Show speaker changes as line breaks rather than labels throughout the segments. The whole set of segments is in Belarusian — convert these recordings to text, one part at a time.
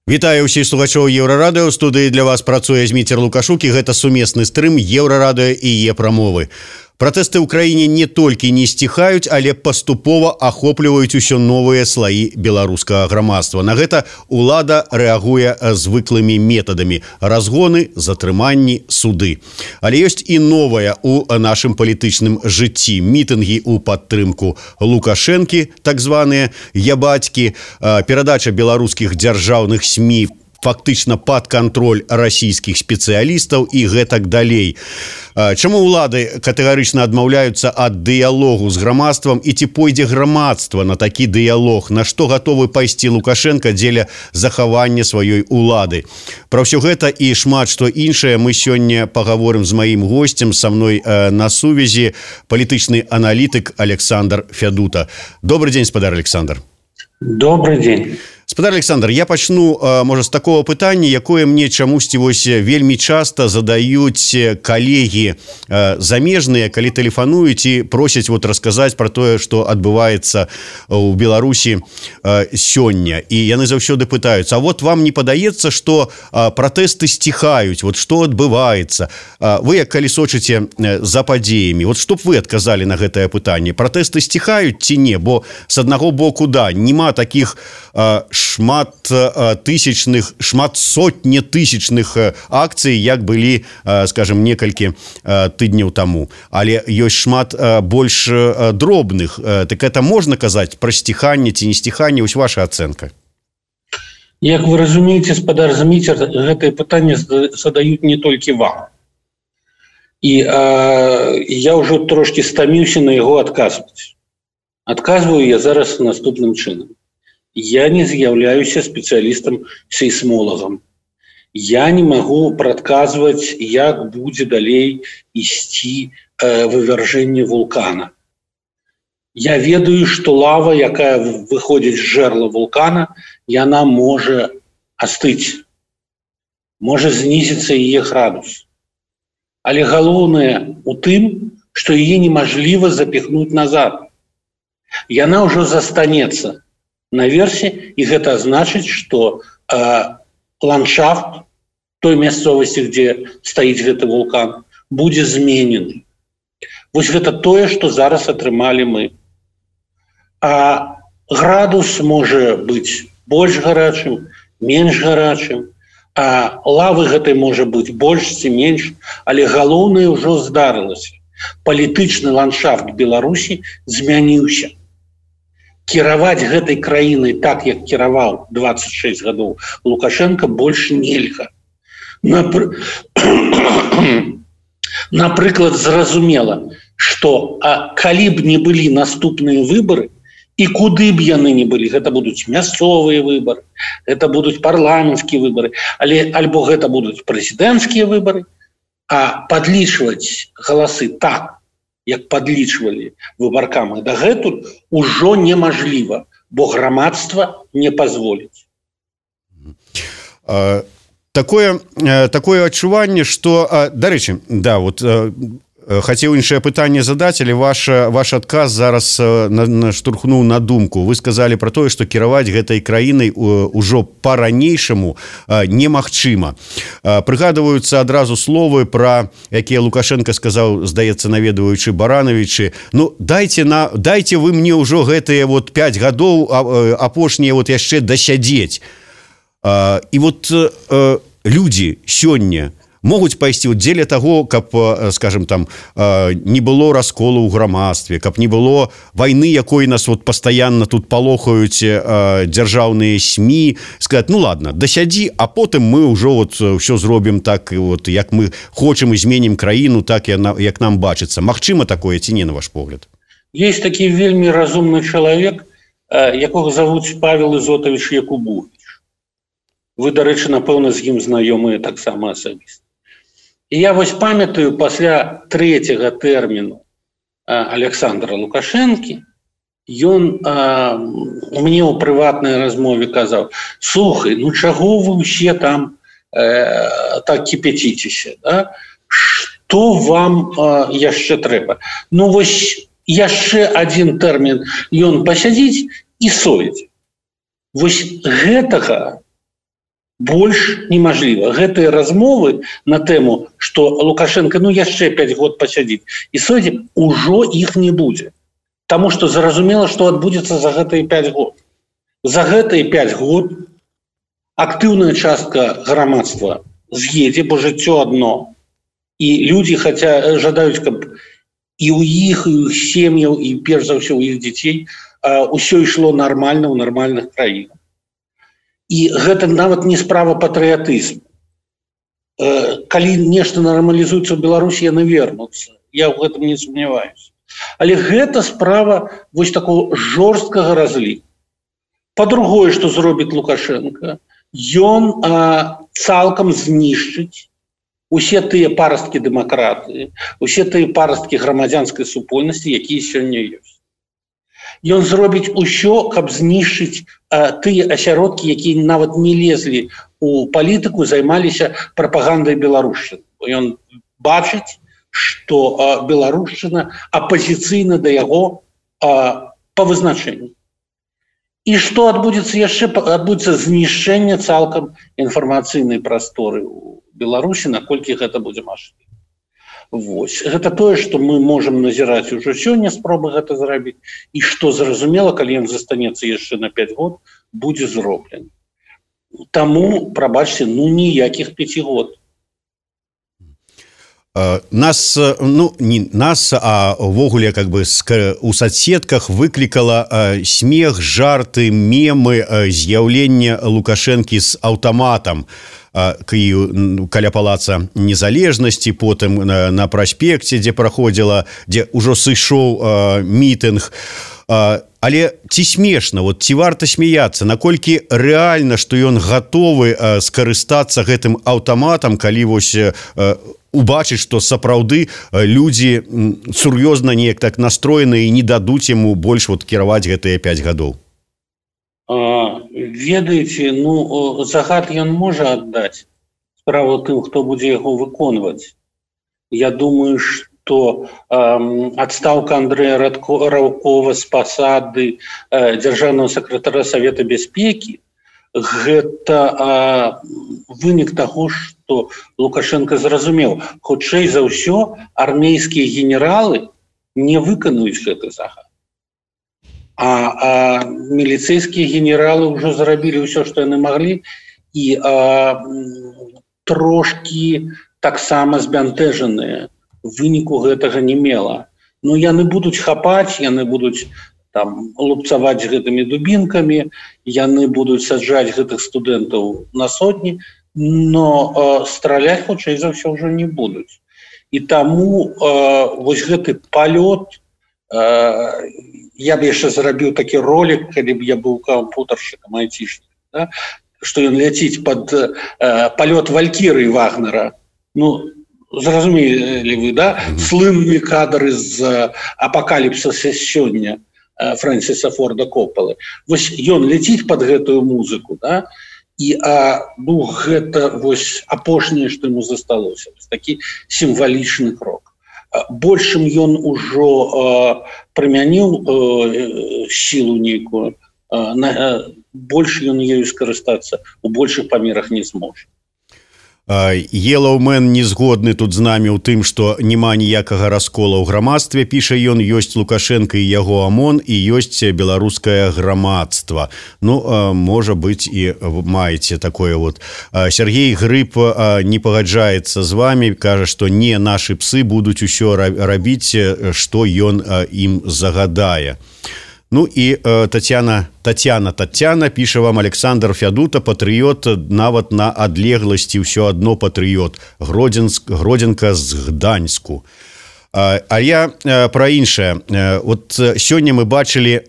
Вітаю ўсіх слухачоў Еўрарадыё. У студыі для вас працуе Зміцер Лукашук, і гэта сумесны стрым Еўрарадыё і Е-прамовы. Пратэсты ў краіне не толькі не сціхаюць, але паступова ахопліваюць усё новыя слаі беларускага грамадства. На гэта ўлада рэагуе звыклымі метадамі: разгоны, затрыманні, суды. Але ёсць і новае ў нашым палітычным жыцці: мітынгі ў падтрымку Лукашэнкі, так званыя ябацькі, перадача беларускіх дзяржаўных СМІ фактычна пад кантроль расійскіх спецыялістаў і гэтак далей. Чаму ўлады катэгарычна адмаўляюцца ад дыялогу з грамадствам, і ці пойдзе грамадства на такі дыялог? На што гатовы пайсці Лукашенко дзеля захавання сваёй улады? Пра ўсё гэта і шмат што іншае мы сёння пагаворым з маім госцем. Са мной на сувязі палітычны аналітык Александр Фядута. Добрый дзень, спадар Александр.
Добрый день.
Спадар Александр, я пачну, можа, з такого пытання, якое мне чамусьці вось вельмі часта задаюць калегі замежныя, калі тэлефануюць і просяць вот расказаць пра тое, што адбываецца ў Беларусі сёння. І яны заўсёды пытаюцца: а вот вам не падаецца, што пратэсты сціхаюць? Вот што адбываецца? Вы, як калі сочыце за падзеямі, вот што б вы адказалі на гэтае пытанне? Пратэсты сціхаюць ці не? Бо з аднаго боку, да, нема такіх шмат сотні тысячных акцый, як былі, скажем, некалькі тыдняў таму. Але ёсць шмат больш дробных. Так это можна казаць пра сціханне ці не сціханне? Вось ваша ацэнка.
Як вы разумееце, спадар Зміцер, гэтае пытанне задаюць не толькі вам. І я ўжо трошкі стаміўся на яго адказваць. Адказваю я зараз наступным чынам. Я не з'яўляюся спецыялістам-сейсмолагам. Я не магу прадказваць, як будзе далей ісці вывяржэнне вулкана. Я ведаю, што лава, якая выходзіць з жэрла вулкана, яна можа астыць, можа знізіцца яе градус. Але галоўнае ў тым, што яе немажліва запіхнуць назад. Яна ўжо застанецца наверсе, і гэта значыць, што ландшафт той мясцовасці, дзе стаіць гэты вулкан, будзе зменены. Вось гэта тое, што зараз атрымалі мы. А градус можа быць больш гарачым, менш гарачым, а лавы гэтай можа быць больш ці менш, але галоўнае ўжо здарылася. Палітычны ландшафт Беларусі змяніўся. Кіраваць гэтай краінай так, як кіраваў 26 гадоў Лукашенко, больш нельга. Напрыклад, зразумела, што калі б не былі наступныя выбары, і куды б яны не былі, гэта будуць мясцовыя выбары, гэта будуць парламенцкія выбары, альбо гэта будуць прэзідэнцкія выбары, а падлічваць галасы так, як падлічвалі выбаркам і дагэтуль, ужо немажліва, бо грамадства не пазволіць.
Такое адчуванне, што, дарэчы, да, вот хацеў іншае пытанне задаць, але ваш адказ зараз наштурхнуў на думку. Вы сказалі пра тое, што кіраваць гэтай краінай ужо па-ранейшаму немагчыма. Прыгадваюцца адразу словы, пра якія Лукашенко сказаў, здаецца, наведваючы Барановичы: ну, дайце вы мне ўжо гэтыя вот 5 гадоў апошнія вот яшчэ дасядзець. І вот людзі сёння могуць пайсці дзеля таго, каб, скажем, там не было расколу ў грамадстве, каб не было вайны, якой нас вот пастаянна тут палохаюць дзяржаўныя СМІ, сказаць: ну ладно, дасядзі, а потым мы ўжо вот ўсё зробім так, вот як мы хочам, і зменім краіну так, як нам бачыцца. Магчыма такое ці не, на ваш погляд?
Есть такі вельмі разумны чалавек, якога завуць Павел Ізотавіч Якубович. Вы, дарэчы, напэўна, з ім знаёмыя таксама асабіста. І я вось памятаю, пасля 3-го тэрміну Александра Лукашэнкі, ён мне ў прыватнай размове казаў: слухай, ну чаго вы ўсе там так кіпяціцеся, да? Што вам яшчэ трэба? Ну вось яшчэ адзін тэрмін ён пасядзіць і сойдзе. Вось гэтага больш немажліва. Гэтыя размовы на тэму, што Лукашенко яшчэ 5 год пасядзіць і сойдзе, ужо іх не будзе. Таму што зразумела, што адбудзецца за гэтыя 5 год. За гэтыя 5 год актыўная частка грамадства з'едзе, бо жыццё адно. І людзі жадаюць, каб і ў іх, і ў іх сем'яў, і перш за ўсё ў іх дзяцей ўсё ішло нармальна ў нармальных краінах. І гэта нават не справа патрыятызму. Калі нешта нармалізуецца ў Беларусі, яны вернуцца. Я ў гэтым не сумняваюся. Але гэта справа вось такого жорсткага разліку. Па-другое, што зробіць Лукашенко, ён цалкам знішчыць усе тыя парасткі дэмакратыі, усе тыя парасткі грамадзянскай супольнасці, якія сёння ёсць. Ён зробіць усё, каб знішчыць тыя асяродкі, якія нават не лезлі ў палітыку, займаліся прапагандай беларушчыны. Ён бачыць, што беларушчына апазіцыйна да яго па вызначэнню. І што адбудзецца яшчэ? Адбудзецца знішчэнне цалкам інфармацыйнай прасторы ў Беларусі, наколькі гэта будзе мажліва. Вось. Гэта тое, што мы можам назіраць ужо сёння, спробы гэта зрабіць, і што зразумела, калі ён застанецца яшчэ на 5 год, будзе зроблен. Таму, прабачце, ніякіх 5 год.
Нас, не нас, а ввогуле у соцсетках выклікала смех, жарты, мемы з'яўлення Лукашэнкі з аўтаматам каля палаца Незалежнасці, потым на праспекце, дзе праходзіла, дзе ўжо сышоў мітынг. Але ці смешна, ці варта смяяцца, наколькі рэальна, што ён гатовы скарыстацца гэтым аўтаматам, калі вось убачыць, што сапраўды людзі сур'ёзна неяк так настроеныя і не дадуць яму больш кіраваць гэтыя 5 гадоў?
Ведаеце, загад ён можа аддаць. Справа тым, хто будзе яго выконваць. Я думаю, што адстаўка Андрэя Радкова з пасады дзяржаўнага сакратара Савета бяспекі гэта вынік таго, што Лукашенко зразумеў. Хутчэй за ўсё, армейскія генералы не выканаюць гэты загад. А міліцэйскія генералы ўжо зрабілі ўсё, што яны маглі, і трошкі таксама збянтэжаныя. Выніку гэтага не мела. Яны будуць хапаць, яны будуць лупцаваць гэтымі дубінкамі, яны будуць саджаць гэтых студэнтаў на сотні, но страляць хутчэй за ўсё ўжо не будуць. І таму вось гэты палёт, я б яшчэ зрабіў такі ролик, калі б я быў кампутаршчыкам, айцішнікам, што ён ляціць пад палёт Валькірыі Вагнера. Зразумелі вы, слынны кадры з апакаліпсіса сёння Фрэнсіса Форда Коппалы. Вось ён ляціць пад гэтую музыку, і гэта вось апошняе, што яму засталося. Такі сімвалічны крок. Большым ён ужо прымяніў сілу нейкую, больш ён ею скарыстацца у большых памерах не зможа.
Елаўмен не згодны тут з намі ў тым, што няма ніякага раскола ў грамадстве, піша ён, ёсць Лукашенко і яго АМОН, і ёсць беларускае грамадства. Можа быць, і маеце такое . Сергей Грыб не пагаджаецца з вами, кажа, што не нашы псы будуць усё рабіць, што ён ім загадае. І Татьяна піша вам: Александр Фядута, патрыёт, нават на адлегласці ўсё адно патрыёт. Гродзенка з Гданьску. А я пра іншае. Сёння мы бачылі,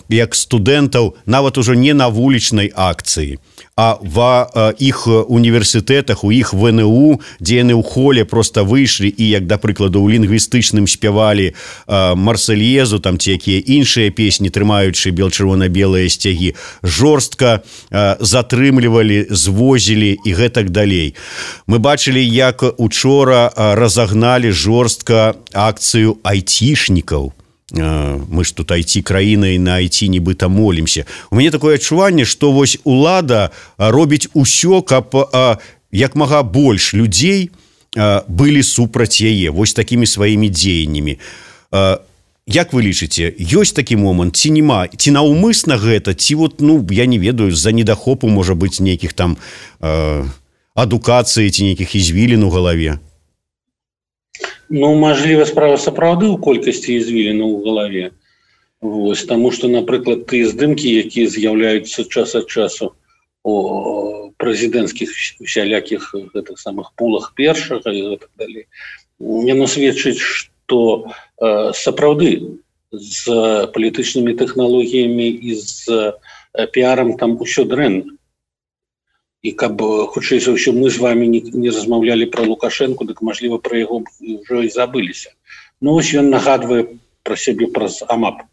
як студэнтаў нават ужо не на вулічнай акцыі, а ва іх універсітэтах, у іх ВНУ, дзе яны ў холе проста выйшлі і, як да прыкладу, у лінгвістычным спявалі Марсельезу, ці якія іншыя песні, трымаючы бел-чырвона-белыя сцягі, жорстка затрымлівалі, звозілі і гэтак далей. Мы бачылі, як учора разагналі жорстка акцыю айцішнікаў. мы ж тут IT-краіна і на IT нібыта молімся. У мяне такое адчуванне, што вось улада робіць усё, каб як мага больш людзей былі супраць яе вось такімі сваімі дзеяннямі. Як вы лічыце, ёсць такі момант ці нема, ці наўмысна гэта, ці вот, я не ведаю, з-за недахопу можа быць нейкіх там адукацыі ці нейкіх ізвілін у галаве?
Мажліва, справа сапраўды ў колькасці ізвілін у галаве. Вось, таму што, напрыклад, тыя здымкі, якія з'яўляюцца час ад часу у прэзідэнцкіх усялякіх гэтых самых пулах першага і так далей, яно сведчыць, што сапраўды з палітычнымі тэхналогіямі і з піарам там усё дрэнна. І каб, хутчэй за ўсё, мы з вами не размаўлялі пра Лукашэнку, дык, мажліва, пра яго ўжо і забыліся. Ось ён нагадвае пра сябе праз АМАП.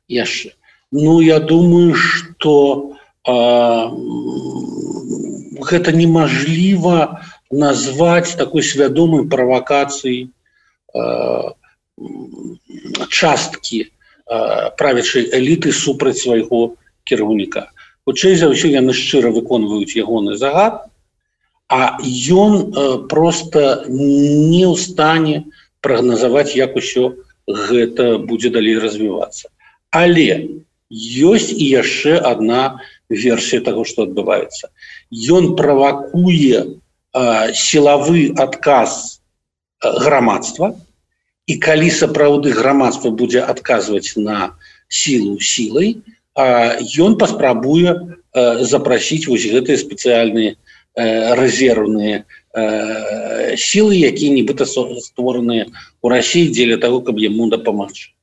Яшчэ. Я думаю, што гэта немажліва назваць такой свядомай правакацыяй часткі правячай эліты супраць свайго кіраўніка. Хутчэй за ўсё, яны шчыра выконваюць ягоны загад, а ён проста не ў стане прагназаваць, як усё гэта будзе далей развівацца. Але ёсць і яшчэ адна версія таго, што адбываецца. Ён правакуе сілавы адказ грамадства, і калі сапраўды грамадства будзе адказваць на сілу сілай, ён паспрабуе запрасіць вось гэтыя спецыяльныя рэзервныя сілы, якія нібыта створаныя ў Расіі дзеля таго, каб яму дапамагчы.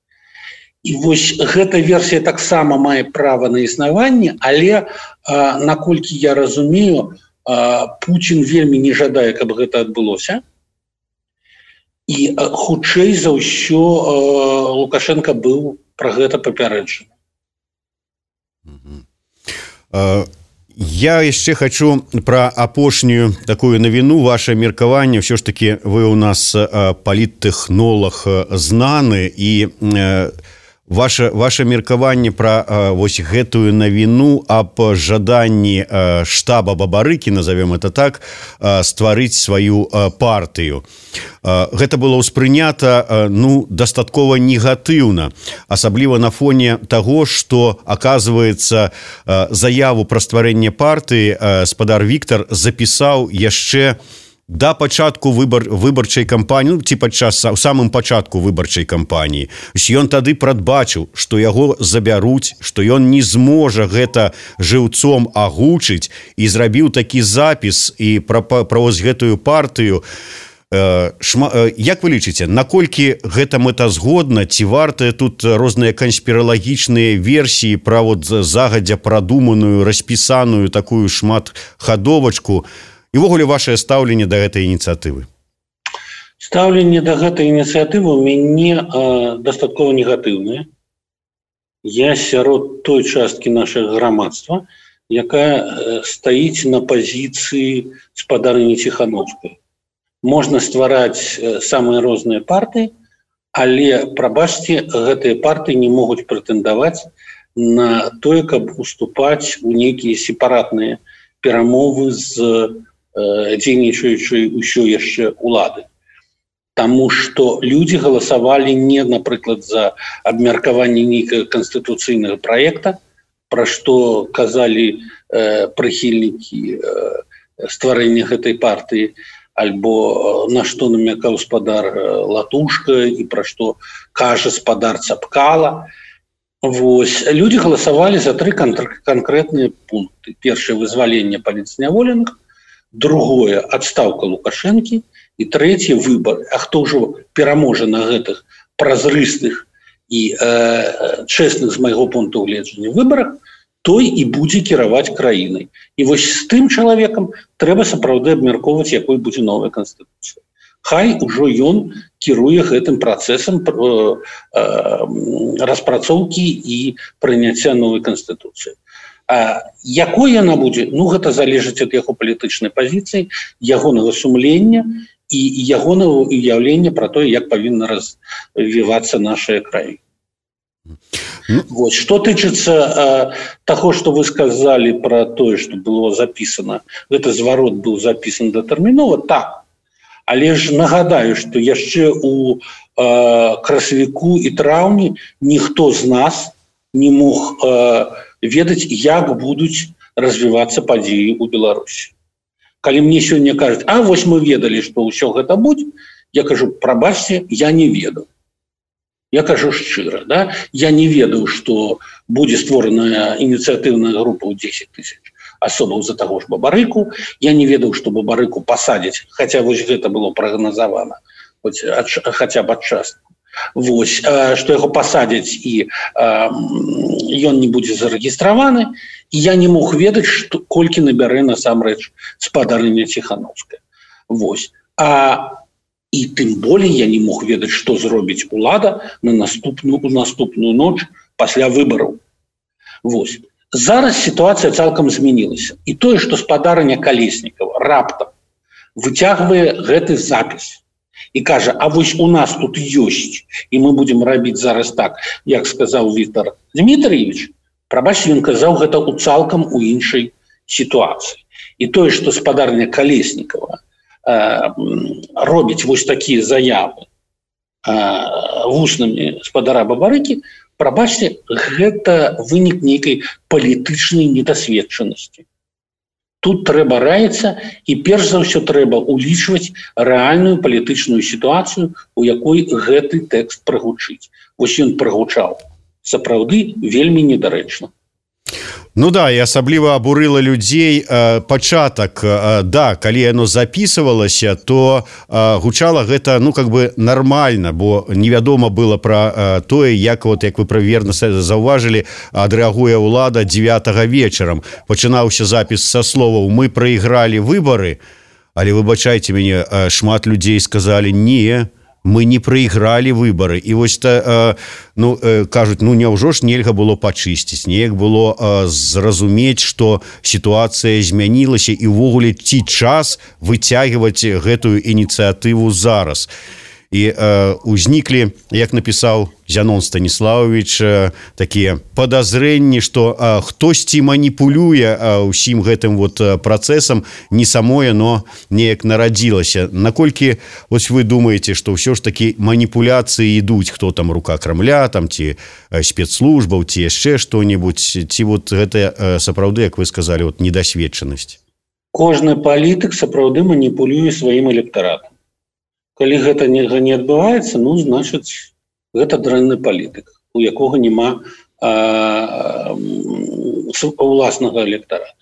І вось гэта версія таксама мае права на існаванне, але, наколькі я разумею, Пуцін вельмі не жадае, каб гэта адбылося. І хутчэй за ўсё Лукашенко быў пра гэта папярэджаны.
Я яшчэ хочу пра апошнюю такую навіну, ваше меркаванне. Ўсё ж таки вы у нас паліттэхнолог знаны, і ваше меркаванне пра вось гэтую навіну аб жаданні штаба Бабарыкі, назовем это так, стварыць сваю партыю. Гэта было ўспрынята дастаткова негатыўна, асабліва на фоне таго, што, аказваецца, заяву пра стварэнне партыі спадар Віктар запісаў яшчэ да пачатку выбарчай кампаніі, ці у самым пачатку выбарчай кампаніі. Ён тады прадбачыў, што яго забяруць, што ён не зможа гэта жыўцом агучыць, і зрабіў такі запіс і пра вось гэтую партыю. Як вы лічыце, наколькі гэта мэтазгодна, ці вартыя тут розныя канспіралагічныя версіі пра загадзя прадуманую, распісаную такую шматхадовачку? І ўвогуле вашае стаўленне да гэтай ініцыятывы?
Стаўленне да гэтай ініцыятывы ў мяне дастаткова негатыўнае. Я сярод той часткі нашага грамадства, якая стаіць на пазіцыі спадарыні Ціхановскай. Можна ствараць самыя розныя партыі, але, прабачце, гэтыя партыі не могуць прэтэндаваць на тое, каб уступаць у нейкія сепаратныя перамовы з дзейнічаючай усё яшчэ улады. Таму што людзі галасавалі не, напрыклад, за абмеркаванне нейкага канстытуцыйнага праекта, пра што казалі прыхільнікі стварэння гэтай партыі, альбо на што намякаў спадар Латушка і пра што кажа спадар Цапкала. Вось, людзі галасавалі за 3 канкрэтныя пункты. Першае — вызваленне палітзняволеных, другое — адстаўка Лукашэнкі, і трэцяе — выбары. А хто ўжо пераможа на гэтых празрыстых і чэсных, з майго пункту гледжання, выбарах, той і будзе кіраваць краінай. І вось з тым чалавекам трэба сапраўды абмяркоўваць, якой будзе новая канстытуцыя. Хай ужо ён кіруе гэтым працэсам распрацоўкі і прыняцця новай канстытуцыі. Якой яна будзе? Гэта залежыць ад яго палітычнай пазіцыі, ягонага сумлення і ягонае уяўленне пра тое, як павінна развівацца наша краіна. Вот. Что тычыцца таго, што вы сказалі пра тое, што было запісана, гэта зварот быў запісан датэрмінова, так. Але ж нагадаю, што яшчэ у красавіку і траўні ніхто з нас не мог ведаць, як будуць развівацца падзеі ў Беларусі. Калі мне сёння кажуць, а вось мы ведалі, што ўсё гэта будзе, я кажу, прабачце, я не ведаў. Я кажу шчыра, да? Я не ведаў, што будзе створаная ініцыятыўная група ў 10 тысяч асобаў за таго ж Бабарыку. Я не ведаў, што Бабарыку пасадзяць, хаця вось гэта было прагназавана, хаця б адчасна. Вось, што яго пасадзяць і ён не будзе зарэгістраваны, і я не мог ведаць, што колькі набярэ насамрэч спадарыня Ціханаўская. Вось. І тым болей я не мог ведаць, што зробіць улада на наступную ноч пасля выбараў. Вось. Зараз сітуацыя цалкам змянілася. І тое, што спадарыня Калеснікава раптам выцягвае гэты запіс і кажа, а вось у нас тут ёсць, і мы будзем рабіць зараз так, як сказаў Віктор Дмітрыевич, прабачце, ён казаў гэта ў цалкам у іншай сітуацыі. І тое, што спадарня Калеснікава робіць вось такія заявы вуснамі спадара Бабарыкі, прабачце, гэта вынік нейкай палітычнай недасведчанасці. Тут трэба раіцца, і перш за ўсё трэба улічваць рэальную палітычную сітуацыю, у якой гэты тэкст прагучыць. Вось ён прагучаў. Сапраўды вельмі недарэчна.
Ну да, і асабліва абурыла людзей пачатак, да, калі яно запісывалася, то гучала гэта, ну, как бы нармальна, бо невядома было пра тое, як вы праверна заўважылі, адрэагуе ўлада 9 вечарам. Пачынаўся запіс са словаў «Мы прайгралі выбары», але, выбачайце мяне, шмат людзей сказалі «Не, мы не прайгралі выбары». І вось кажуць, няўжо ж нельга было пачысціць, неяк было зразумець, што сітуацыя змянілася і ўвогуле ці час выцягваць гэтую ініцыятыву зараз. І узніклі, як напісаў Зянон Станіславович, такія падазрэнні, што хтосьці маніпулюе ўсім гэтым працэсам, не самое, но неяк нарадзілася. Наколькі вы думаеце, што ўсё ж такі маніпуляцыі ідуць, хто там рука Крамля, там ці спецслужбаў, ці яшчэ што-небудзь, ці гэта сапраўды, як вы сказалі, недасведчанасць?
Кожны палітык сапраўды маніпулюе сваім электаратам. Калі гэта не адбываецца, значыць, гэта дрэнны палітык, у якога няма уласнага электарата.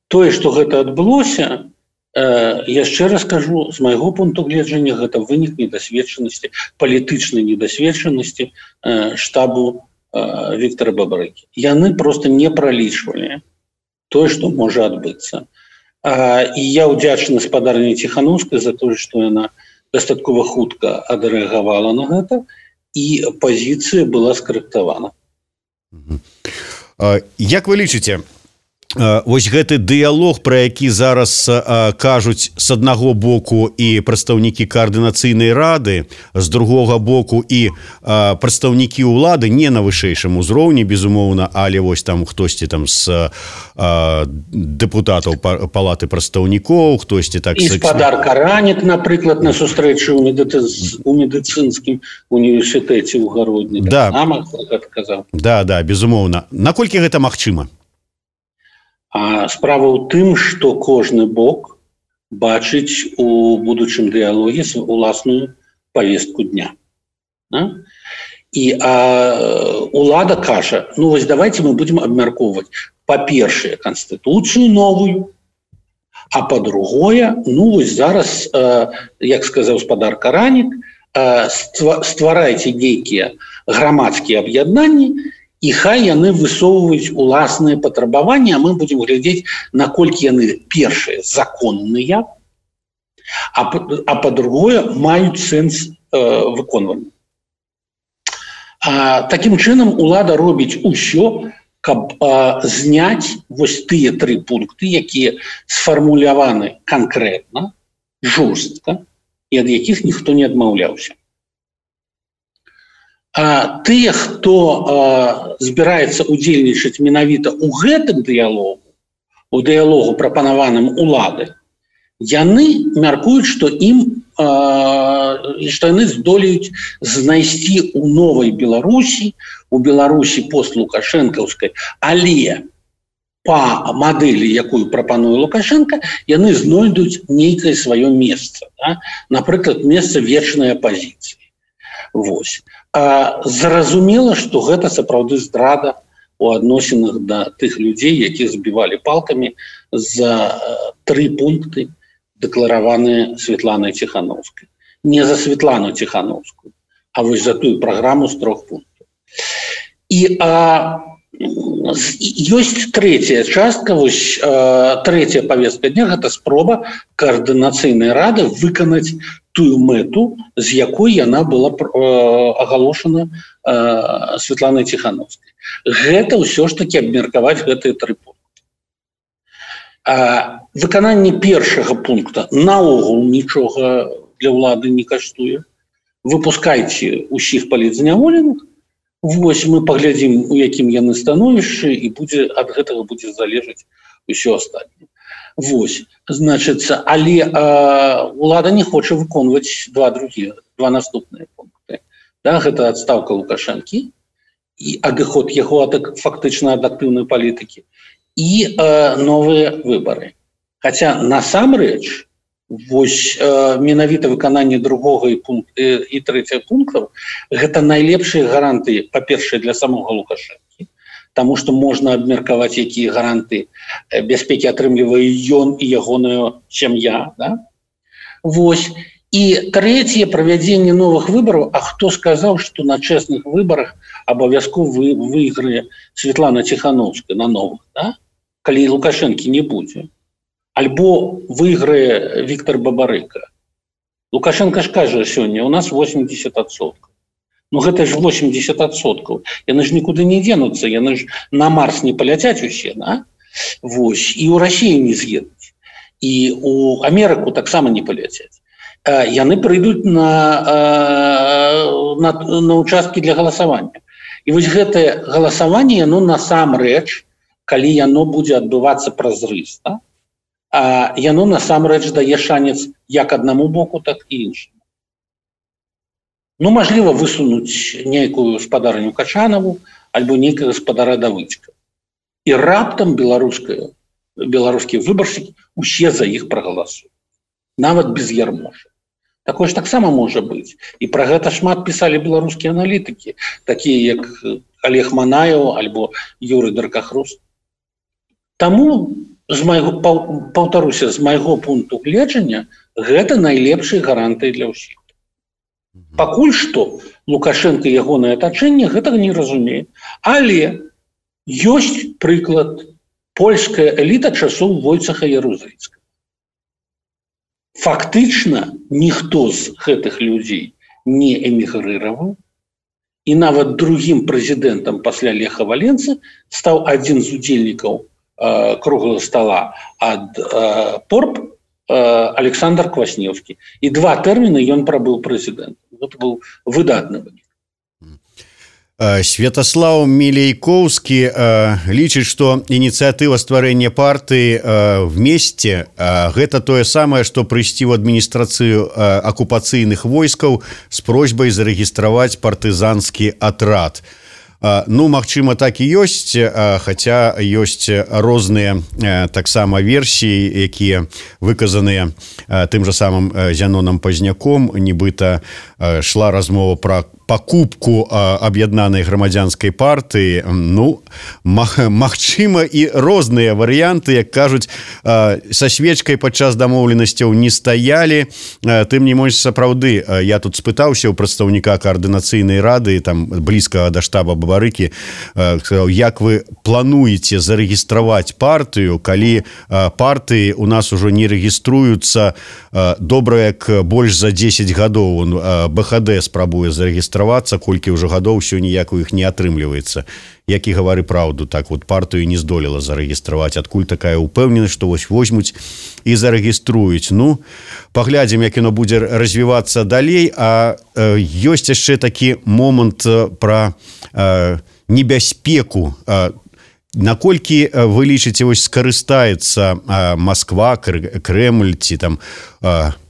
Тое, што гэта адбылося, яшчэ раз кажу, з майго пункту гледжання, гэта вынік недасведчанасці, палітычнай недасведчанасці штабу Віктора Бабарыкі. Яны проста не пралічвалі тое, што можа адбыцца. І я ўдзячны спадарні Ціханаўскай за тое, што яна дастаткова хутка адрэагавала на гэта, і пазіцыя была скарэктавана.
Як вы лічыце, вось гэты дыялог, пра які зараз кажуць з аднаго боку і прадстаўнікі каардынацыйнай рады, з другога боку і прадстаўнікі ўлады, не на вышэйшым узроўні, безумоўна, але вось там хтосьці там з дэпутатаў палаты прадстаўнікоў, хтосьці так...
І спадар Каранік, напрыклад, на сустрэчы ў медыцынскім універсітэце ў Гародні.
Да, безумоўна. Наколькі гэта магчыма?
Справа ў тым, што кожны бок бачыць у будучым дыялоге уласную павестку дня. І улада кажа, вось давайте мы будзем абмяркоўваць, па-першае, Канстытуцыю новую, а па-другое, вось зараз, як сказаў спадар Каранік, стварайце нейкія грамадскія аб'яднанні, і хай яны высоўваюць уласныя патрабаванні, а мы будзем глядзець, наколькі яны, першыя, законныя, а па-другое, маюць сэнс выконвання. Такім чынам, улада робіць усё, каб зняць вось тыя 3 пункты, якія сфармуляваны канкрэтна, жорстка, і ад якіх ніхто не адмаўляўся. А тыя, хто збіраецца удзельнічаць менавіта ў гэтым дыялогу, у дыялогу прапанаваным улады, яны мяркуюць, што яны здолеюць знайсці ў новай Беларусі, у Беларусі постлукашэнкаўскай, але па мадэлі, якую прапануе Лукашенко, яны знойдуць нейкае сваё месца. Да? Напрыклад, месца вечнай апазіцыі. Вось. Зразумела, што гэта сапраўды здрада у адносінах да тых людзей, якіх збівалі палкамі за 3 пункты, дэклараваныя Светланай Ціхановскай. Не за Светлану Ціхановскую, а вось за тую праграму з 3 пунктаў. І ёсць трэцяя частка, вось трэцяя павестка дня, гэта спроба каардынацыйнай рады выканаць тую мэту, з якой яна была агалошана Светланай Ціхановскай. Гэта ўсё ж такі абмеркаваць гэтыя 3 пункты. Выкананне першага пункта наогул нічога для ўлады не каштуе. Выпускайце ўсіх палітзняволеных, вось мы паглядзім, у якім яны становішчы, і ад гэтага будзе залежаць усё астатняе. Вось, значыцца, але ўлада не хоча выконваць два наступныя пункты. Да, гэта адстаўка Лукашэнкі і адыход яго фактычна ад актыўнай палітыкі і новыя выбары. Хаця насамрэч вось менавіта выкананне 2 і 3 пунктаў гэта найлепшыя гарантыі, па-першае, для самога Лукашэнкі, таму што можна абмеркаваць, якія гаранты бяспекі атрымлівае ён і ягоная сям'я. Да? Вось. І трэцяе, правядзенне новых выбараў. А хто сказаў, што на чэсных выбарах абавязкова выйграе Светлана Ціхановская на новых, да? Калі Лукашэнкі не будзе? Альбо выйграе Віктор Бабарыка. Лукашенко ж кажа сёння, у нас 80%. Ну гэта ж 80%. Яны ж нікуды не денуцца, яны ж на Марс не паляцяць усе, да? Вось. І ў Расію не з'едуць. І ў Амерыку таксама не паляцяць. Яны прыйдуць на участкі для галасавання. І вось гэтае галасаванне, яно насамрэч, калі яно будзе адбывацца празрыста, яно насамрэч дае шанец як аднаму боку, так і іншаму. Ну, мажліва, высунуць нейкую спадарню Качанову альбо нейкага спадара Давыдзька. І раптам беларускія выбаршчыкі усе за іх прагаласуюць. Нават без Ярмоша. Такое ж таксама можа быць. І пра гэта шмат пісалі беларускія аналітыкі, такія як Олег Манаеў альбо Юрый Даркахрус. Таму, паўтаруся, з майго пункту гледжання, гэта найлепшыя гарантыі для ўсіх. Пакуль што Лукашенко і ягонае атачэнне гэтага не разумее. Але ёсць прыклад польская эліта часоў Войцеха Ярузельскага. Фактычна ніхто з гэтых людзей не эмігрыраваў, і нават другім прэзідэнтам пасля Леха Валенцы стаў адзін з удзельнікаў круглого стола ад ПОРП Александр Квасневскі. І 2 тэрміны ён прабыў прэзідэнтам. Гэта быў выдатны вынік.
Святаслаў Мілейкоўскі лічыць, што ініцыятыва стварэння партыі «Вместе» гэта тое самае, што прыйсці ў адміністрацыю акупацыйных войскаў з просьбай зарэгістраваць партызанскі атрад. Ну, магчыма, так і ёсць, хаця ёсць розныя таксама версіі, якія выказаныя тым жа самым Зянонам Пазняком, нібыта шла размова пра пакупку аб'яднанай грамадзянскай партыі. Ну, магчыма, і розныя варыянты, як кажуць, са свечкай падчас дамоўленасцяў не стаялі. Тым не менш, сапраўды, я тут спытаўся ў прадстаўніка каардынацыйнай рады, там блізкага да штаба Бабарыкі, як вы плануеце зарэгістраваць партыю, калі партыі у нас ужо не рэгіструюцца добра як больш за 10 гадоў. БХД спрабуе зарэгістраваць зарэгістравацца, колькі ўжо гадоў ўсё ніяк у іх не атрымліваецца. Як і гавары праўду, так вот партыю не здолела зарэгістраваць, адкуль такая ўпэўненасць, што вось возьмуць і зарэгіструюць. Ну, паглядзім, як яно будзе развівацца далей, а ёсць яшчэ такі момант пра небяспеку. Наколькі вы лічыце, вось скарыстаецца Масква, Крэмль ці там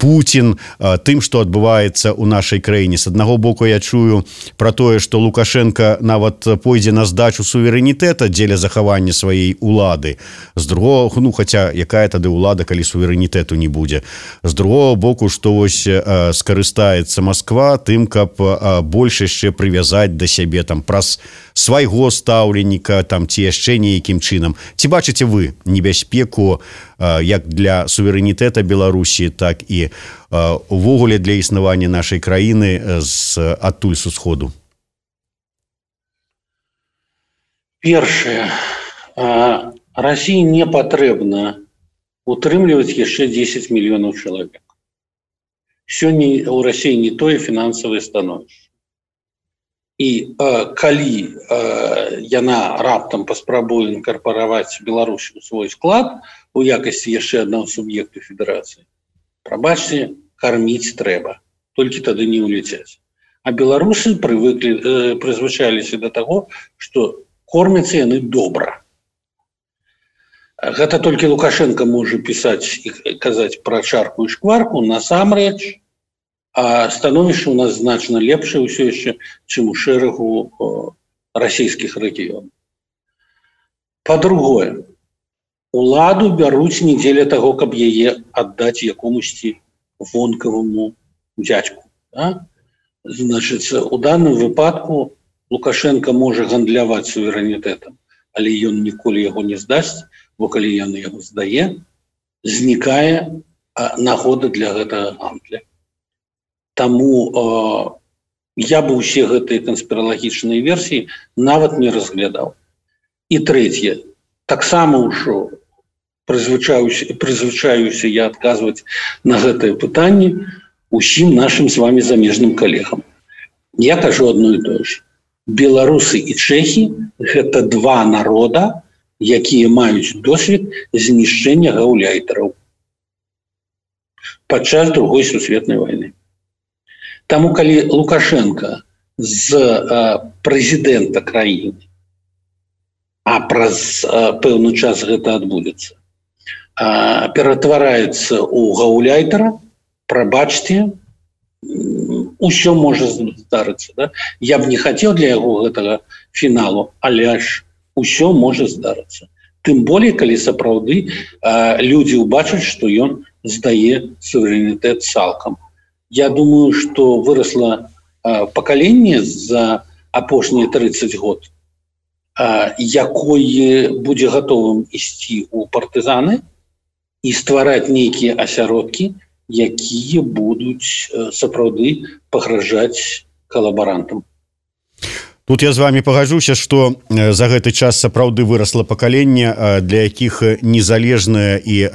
Путін тым, што адбываецца ў нашай краіне? З аднаго боку я чую пра тое, што Лукашенко нават пойдзе на здачу суверэнітэта дзеля захавання сваёй улады. З другого, ну, хаця якая тады ўлада, калі суверэнітэту не будзе. З другого боку, што вось скарыстаецца Масква тым, каб больш яшчэ прывязаць да сябе там праз свайго стаўленніка там ці яшчэ нейкім чынам. Ці бачыце вы небяспеку як для суверэнітэта Беларусі, так і увогуле для існавання нашай краіны адтуль з усходу?
Першае, Расіі не патрэбна утрымліваць яшчэ 10 мільёнаў чалавек. Сёння ў Расіі не тое фінансавае становішча. І калі яна раптам паспрабуе інкарпараваць Беларусь у свой склад у якасці яшчэ аднаго суб'екту федэрацыі, прабачце, карміць трэба, толькі тады не ўляцяць. А беларусы прызвычаліся да таго, што кормяцца яны добра. Гэта толькі Лукашенко можа пісаць і казаць пра чарку і шкварку, насамрэч, а становішча у нас значна лепшае ўсё яшчэ, чым у шэрагу расійскіх рэгіёнаў. Па-другое, уладу бяруць не дзеля таго, каб яе аддаць якомусьці вонкаваму дзядзьку. Да? Значыць, у даным выпадку Лукашенко можа гандляваць суверэнітэтам, але ён ніколі яго не здасць, бо калі ён яго здае, знікае нагода для гэтага гандля. Таму я бы ўсе гэтыя канспіралагічныя версіі нават не разглядаў. І трэцяе, таксама ўжо прызвычаюся я адказваць на гэтае пытанне усім нашым з вами замежным калегам. Я кажу одно і тое ж. Беларусы і чэхі – гэта два народа, якія маюць досвед знішчэння гаўляйтараў падчас Другой сусветнай вайны. Таму, калі Лукашенко з прэзідэнта краіны, а праз пэўны час гэта адбудзецца, ператвараецца ў гаўляйтара, прабачце, усё можа здарыцца. Да? Я б не хацеў для яго гэтага фіналу, але ж усё можа здарыцца. Тым болей, калі сапраўды людзі ўбачаць, што ён здае суверэнітэт цалкам. Я думаю, што вырасла пакаленне за апошнія 30 год, якое будзе гатовым ісці ў партызаны і ствараць нейкія асяродкі, якія будуць сапраўды пагражаць калабарантам.
Тут я з вами пагаджуся, што за гэты час сапраўды вырасла пакаленне, для якіх незалежная і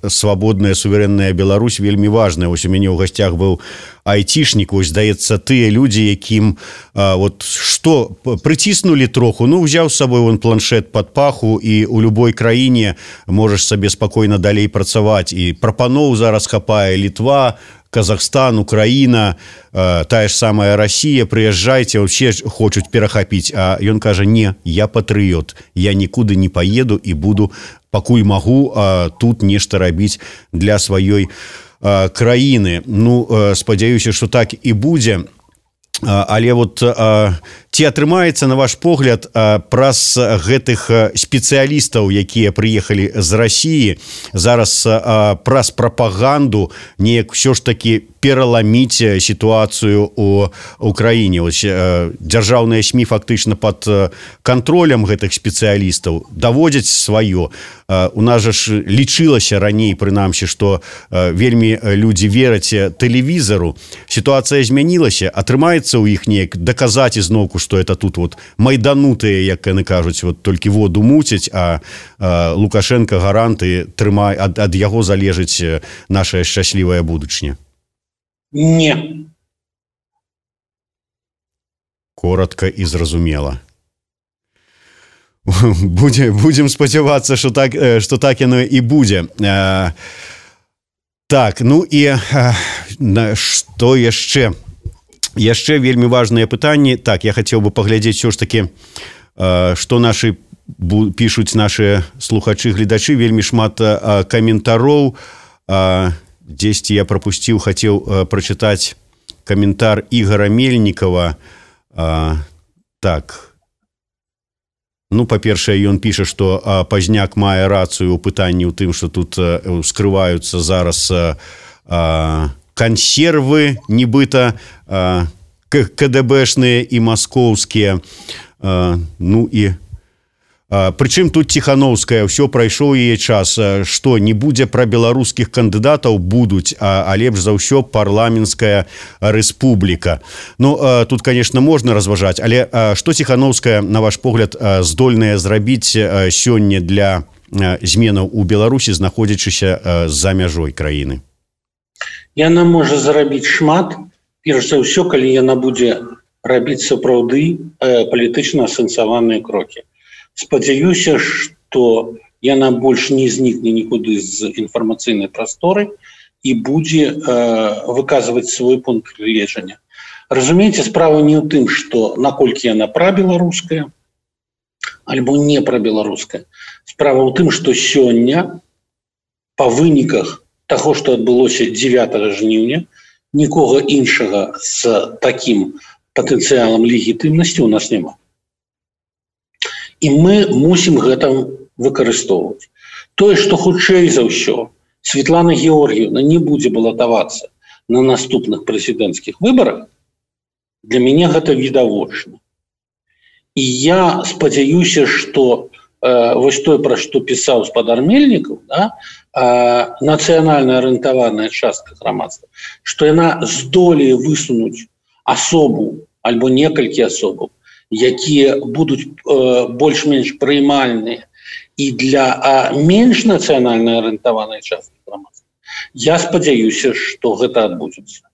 свабодная суверэнная Беларусь вельмі важная. Вось у мяне ў гасцях быў айцішнік, вось, здаецца, тыя людзі, якім вот што прыціснулі троху, ну, узяў з сабой вон планшет пад паху, і ў любой краіне можаш сабе спакойна далей працаваць. І прапаноў зараз хапае: Літва, Казахстан, Украіна, тая ж самая Расія, прыязджайце, ўсе хочуць перахапіць. А ён кажа: не, я патрыёт, я нікуды не паеду і буду, пакуль магу, тут нешта рабіць для сваёй краіны. Ну, спадзяюся, што так і будзе. Але вот ці атрымаецца, на ваш погляд, праз гэтых спецыялістаў, якія прыехалі з Расіі, зараз праз прапаганду неяк ўсё ж такі пераламіць сітуацыю ў Украіне? Дзяржаўныя СМІ фактычна пад кантролем гэтых спецыялістаў даводзяць сваё. У нас жа ж лічылася раней, прынамсі, што вельмі людзі вераць тэлевізару. Сітуацыя змянілася, атрымаецца ў іх неяк даказаць ізноўку, што это тут вот майданутыя, як яны кажуць, вот толькі воду муцяць, а Лукашенко гаранты трымае, ад яго залежыць наша шчаслівая будучыня.
Не.
Коротко і зразумела. Будем спадзявацца, што так яно і будзе. Так, ну і што яшчэ? Яшчэ вельмі важныя пытанні. Так, я хацеў бы паглядзець ўсё ж такі, што нашы пішуць нашы слухачы, гледачы, вельмі шмат каментароў. Дзесьці я прапусціў, хацеў прачытаць каментар Ігора Мельнікова. Так. Ну, па-першае, ён піша, што Пазняк мае рацыю ў пытанні ў тым, што тут скрываюцца зараз кансервы, нібыта КДБшныя і маскоўскія. Ну і прычым тут Ціхановская, ўсё прайшоў яе час, што не будзе пра беларускіх кандыдатаў, будуць, а лепш за ўсё парламенцкая рэспубліка. Ну, тут, конечно, можна разважаць, але што Ціхановская, на ваш погляд, здольная зрабіць сёння для зменаў у Беларусі, знаходзячыся за мяжой краіны?
Яна можа зарабіць шмат, перш за ўсё, калі яна будзе рабіць сапраўды палітычна асэнсаваныя крокі. Спадзяюся, што яна больш не знікне нікуды з інфармацыйнай прасторы і будзе выказваць свой пункт гледжання. Разумееце, справа не ў тым, што наколькі яна прабеларуская альбо не прабеларуская. Справа ў тым, што сёння па выніках таго, што адбылося 9 жніўня, нікога іншага з такім патэнцыялам легітымнасці ў нас няма. І мы мусім гэта выкарыстоўваць. Тое, што хутчэй за ўсё Светлана Георгіевна не будзе балатавацца на наступных прэзідэнцкіх выбарах, для мяне гэта відавочна. І я спадзяюся, што вось тое, пра што пісаў спадар Мельнікаў, нацыянальна арыентаваная частка грамадства, што яна здолее высунуць асобу альбо некалькі асобаў, якія будуць больш-менш прыймальныя і для менш нацыянальна арыентаванай часткі грамадства. Я спадзяюся, што гэта адбудзецца.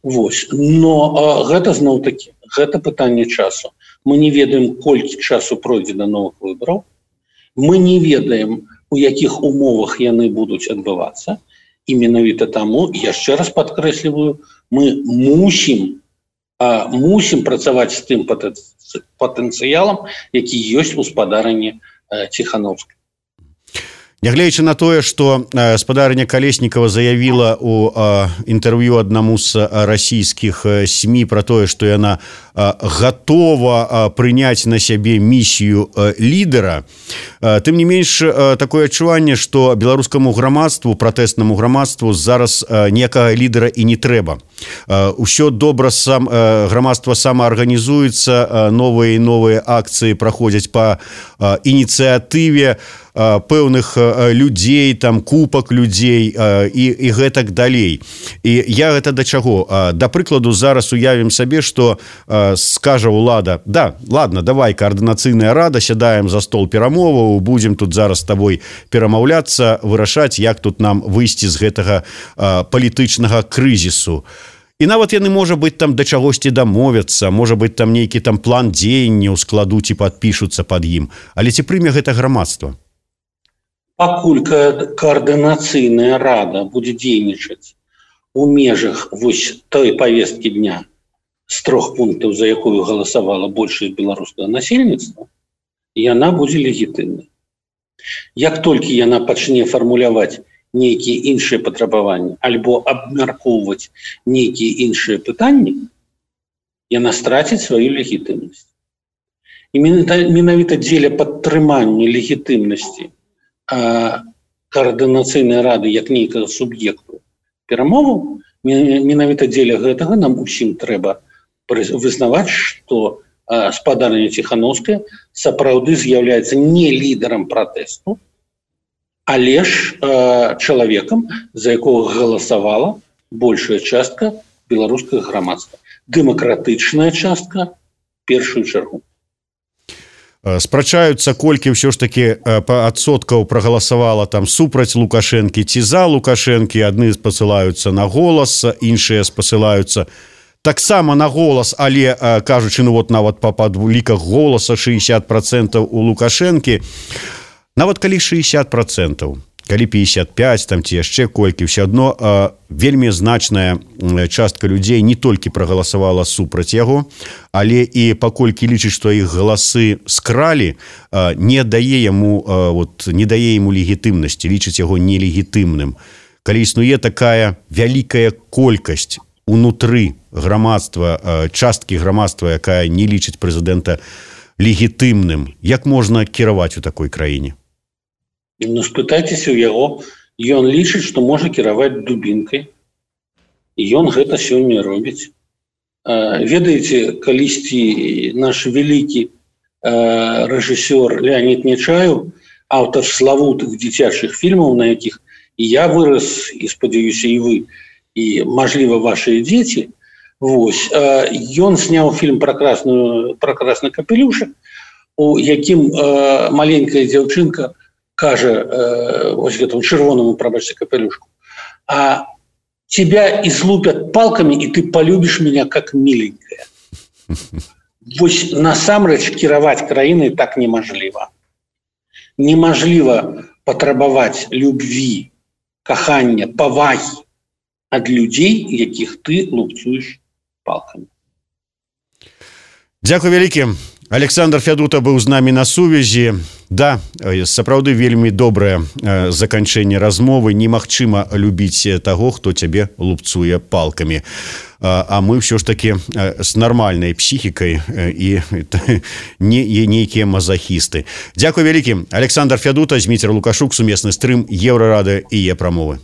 Вось. Но гэта зноў-такі, гэта пытанне часу. Мы не ведаем, колькі часу пройдзе да новых выбараў. Мы не ведаем, у якіх умовах яны будуць адбывацца. І менавіта таму, яшчэ раз падкрэсліваю, мы мусім працаваць з тым патэнцыялам, які ёсць у спадарыні Ціхановскай.
Нягледзячы на тое, што спадарыня Калеснікава заявіла ў інтэрв'ю аднаму з расійскіх СМІ пра тое, што яна гатова прыняць на сябе місію лідара, тым не менш такое адчуванне, што беларускаму грамадству, пратэснаму грамадству зараз ніякага лідара і не трэба. Усё добра, грамадства самаарганізуецца, новыя і новыя акцыі праходзяць па ініцыятыве пэўных людзей, там купак людзей і гэтак далей. І я гэта да чаго? Да прыкладу, зараз уявім сабе, што скажа ўлада: да, ладно, давай, каардынацыйная рада, сядаем за стол перамоваў, будзем тут зараз з табой перамаўляцца, вырашаць, як тут нам выйсці з гэтага палітычнага крызісу. І нават яны, можа быць, там да чагосьці дамовяцца, можа быць, там нейкі там план дзеянняў складуць і падпішуцца пад ім. Але ці прыме гэта грамадства?
Пакуль каардынацыйная рада будзе дзейнічаць у межах вось той павесткі дня з 3 пунктаў, за якую галасавала большасць беларускага насельніцтва, яна будзе легітымнай. Як толькі яна пачне фармуляваць нейкія іншыя патрабаванні альбо абмяркоўваць нейкія іншыя пытанні, яна страціць сваю легітымнасць. І менавіта дзеля падтрымання легітымнасці каардынацыйнай рады як нейкага суб'екту перамоваў, менавіта дзеля гэтага нам усім трэба вызнаваць, што спадарня Ціхановская сапраўды з'яўляецца не лідарам пратэсту, але ж чалавекам, за якога галасавала большая частка беларускага грамадства. Дэмакратычная частка першую чаргу.
Спрачаюцца, колькі ўсё ж такі адсоткаў прагаласавала там супраць Лукашэнкі ці за Лукашэнкі. Адны спасылаюцца на голас, іншыя спасылаюцца таксама на голас, але кажучы, ну вот нават па падліках голаса 60% у Лукашэнкі, нават калі 60%, калі 55, там ці яшчэ колькі, все адно вельмі значная частка людзей не толькі прагаласавала супраць яго, але і паколькі лічыць, што іх галасы скралі, не дае яму легітымнасці, лічыць яго нелегітымным. Калі існуе такая вялікая колькасць унутры грамадства, часткі грамадства, якая не лічыць прэзідэнта легітымным, як можна кіраваць у такой краіне?
Ну, спытайцеся ў яго, ён лічыць, што можа кіраваць дубінкай, і ён гэта сёння робіць. Ведаеце, калісьці наш вялікі рэжысёр Леонид Нечаев, аўтар славутых дзіцячых фільмаў, на якіх і я вырас, і спадзяюся, і вы, і, мажліва, вашыя дзеці, ён сняў фільм «Пракрасны капелюшак», у якім маленькая дзяўчынка кажа вось гэтаму чырвонаму, прабачце, капелюшку: а тебя излупят палками, и ты полюбишь меня как миленькая. Вось насамрэч кіраваць краінай так немажліва. Немажліва патрабаваць любві, кахання, павагі ад людзей, якіх ты лупцуеш палкамі.
Дзякуй вялікі. Александр Фядута быў з намі на сувязі. Да, сапраўды вельмі добрае заканчэнне размовы. Немагчыма любіць таго, хто цябе лупцуе палкамі. А мы ўсё ж такі з нармальнай псіхікай і не нейкія мазахісты. Дзякуй вялікі. Александр Фядута, Зміцер Лукашук, сумесны стрым Еўрарадыё і Е-прамовы.